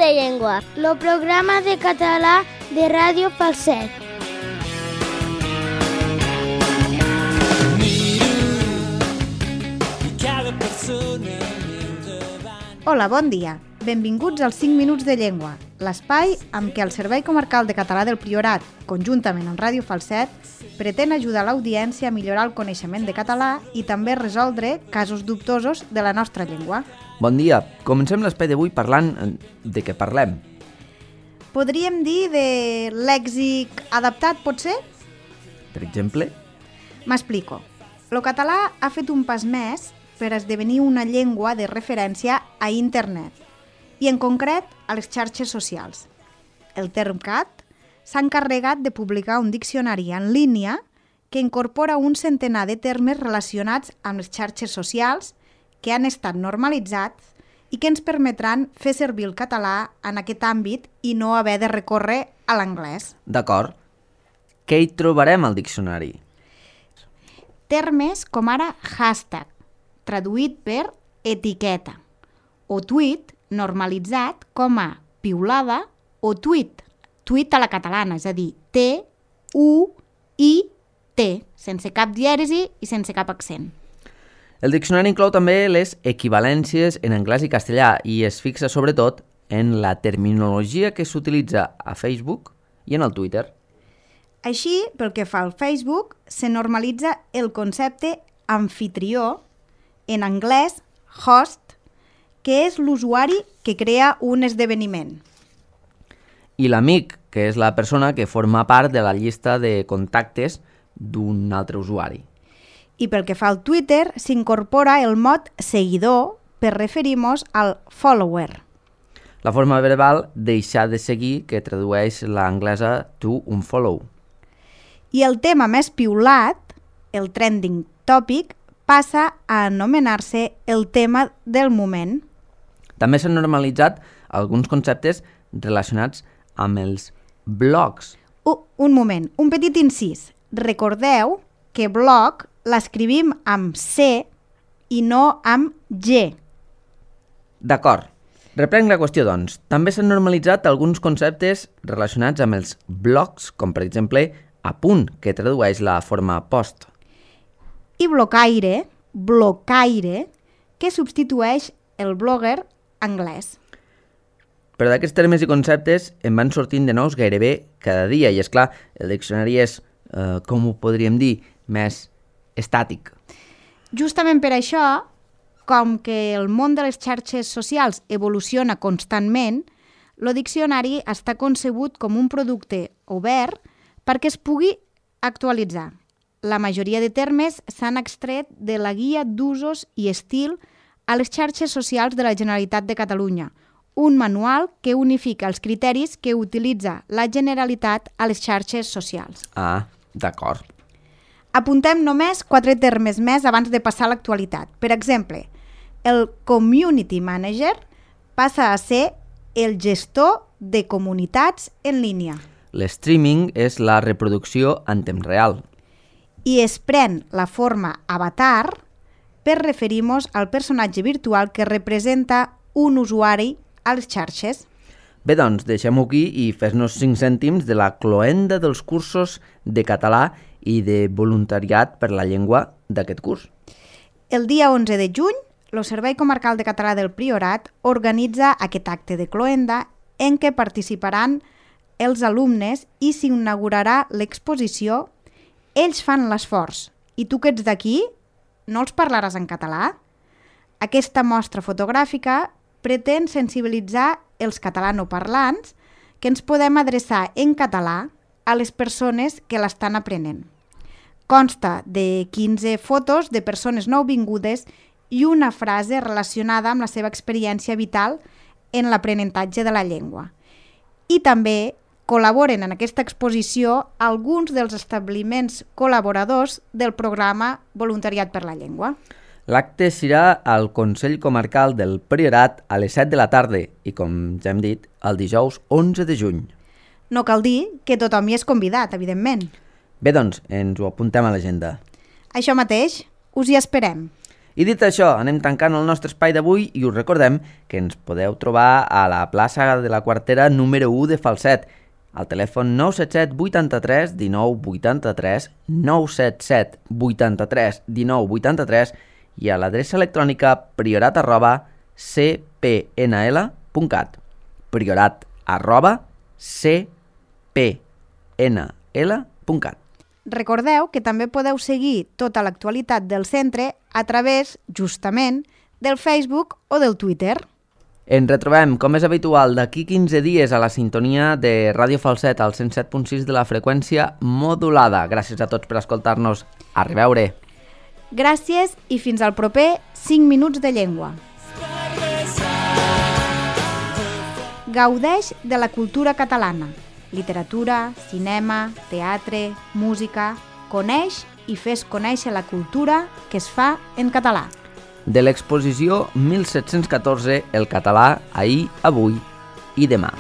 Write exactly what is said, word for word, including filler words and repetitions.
de Llengua, el programa de català de Ràdio Falset. Hola, bon dia. Benvinguts als cinc minuts de llengua, l'espai amb què el Servei Comarcal de Català del Priorat, conjuntament amb Ràdio Falset, pretén ajudar l'audiència a millorar el coneixement de català i també resoldre casos dubtosos de la nostra llengua. Bon dia. Comencem l'espai d'avui parlant de què parlem. Podríem dir de lèxic adaptat, pot ser? Per exemple? M'explico. El català ha fet un pas més per esdevenir una llengua de referència a internet i, en concret, a les xarxes socials. El Termcat s'ha encarregat de publicar un diccionari en línia que incorpora un centenar de termes relacionats amb les xarxes socials que han estat normalitzats i que ens permetran fer servir el català en aquest àmbit i no haver de recórrer a l'anglès. D'acord. Què hi trobarem al diccionari? Termes com ara hashtag, traduït per etiqueta, o tuit, normalitzat com a piulada o tuit, tuit a la catalana, és a dir, T, U, I, T, sense cap dièresi i sense cap accent. El diccionari inclou també les equivalències en anglès i castellà i es fixa sobretot en la terminologia que s'utilitza a Facebook i en el Twitter. Així, pel que fa al Facebook, se normalitza el concepte amfitrió, en anglès host, que és l'usuari que crea un esdeveniment. I l'amic, que és la persona que forma part de la llista de contactes d'un altre usuari. I pel que fa al Twitter, s'incorpora el mot seguidor per referir-nos al follower. La forma verbal deixar de seguir, que tradueix l'anglesa to unfollow. I el tema més piulat, el trending topic, passa a anomenar-se el tema del moment. També s'han normalitzat alguns conceptes relacionats amb els blogs. Uh, un moment, un petit incís. Recordeu que blog l'escrivim amb C i no amb G. D'acord. Reprenc la qüestió, doncs. També s'han normalitzat alguns conceptes relacionats amb els blogs, com per exemple apunt, que tradueix la forma post. I blocaire, blocaire, que substitueix el blogger anglès. Però d'aquests termes i conceptes en van sortint de nous gairebé cada dia i, és clar, el diccionari és, eh, com ho podríem dir, més estàtic. Justament per això, com que el món de les xarxes socials evoluciona constantment, el diccionari està concebut com un producte obert perquè es pugui actualitzar. La majoria de termes s'han extret de la Guia d'usos i estil a les xarxes socials de la Generalitat de Catalunya, un manual que unifica els criteris que utilitza la Generalitat a les xarxes socials. Ah, d'acord. Apuntem només quatre termes més abans de passar a l'actualitat. Per exemple, el Community Manager passa a ser el gestor de comunitats en línia. L'streaming és la reproducció en temps real. I es pren la forma avatar per referir-nos al personatge virtual que representa un usuari a les xarxes. Bé, doncs, deixem-ho aquí i fes-nos cinc cèntims de la cloenda dels cursos de català i de voluntariat per la llengua d'aquest curs. El dia onze de juny, el Servei Comarcal de Català del Priorat organitza aquest acte de cloenda en què participaran els alumnes i s'inaugurarà l'exposició Ells fan l'esforç i tu que ets d'aquí no els parlaràs en català? Aquesta mostra fotogràfica pretén sensibilitzar els catalanoparlants que ens podem adreçar en català a les persones que l'estan aprenent. Consta de quinze fotos de persones nouvingudes i una frase relacionada amb la seva experiència vital en l'aprenentatge de la llengua. I també col·laboren en aquesta exposició alguns dels establiments col·laboradors del programa Voluntariat per la Llengua. L'acte serà al Consell Comarcal del Priorat a les set de la tarda i, com ja hem dit, el dijous onze de juny. No cal dir que tothom hi és convidat, evidentment. Bé, doncs, ens ho apuntem a l'agenda. Això mateix, us hi esperem. I dit això, anem tancant el nostre espai d'avui i us recordem que ens podeu trobar a la plaça de la Quartera número u de Falset, al telèfon nou set set vuitanta-tres dinou vuitanta-tres, nou set set vuitanta-tres dinou vuitanta-tres i a l'adreça electrònica priorat arroba c p n l punt cat. Priorat arroba c p n l punt cat. Recordeu que també podeu seguir tota l'actualitat del centre a través, justament, del Facebook o del Twitter. Ens retrobem, com és habitual, d'aquí quinze dies a la sintonia de Ràdio Falset al cent set punt sis de la freqüència modulada. Gràcies a tots per escoltar-nos. A reveure. Gràcies i fins al proper cinc minuts de llengua. Gaudeix de la cultura catalana. Literatura, cinema, teatre, música... Coneix i fes conèixer la cultura que es fa en català. De l'exposició mil set-cents catorze, el català, ahir, avui i demà.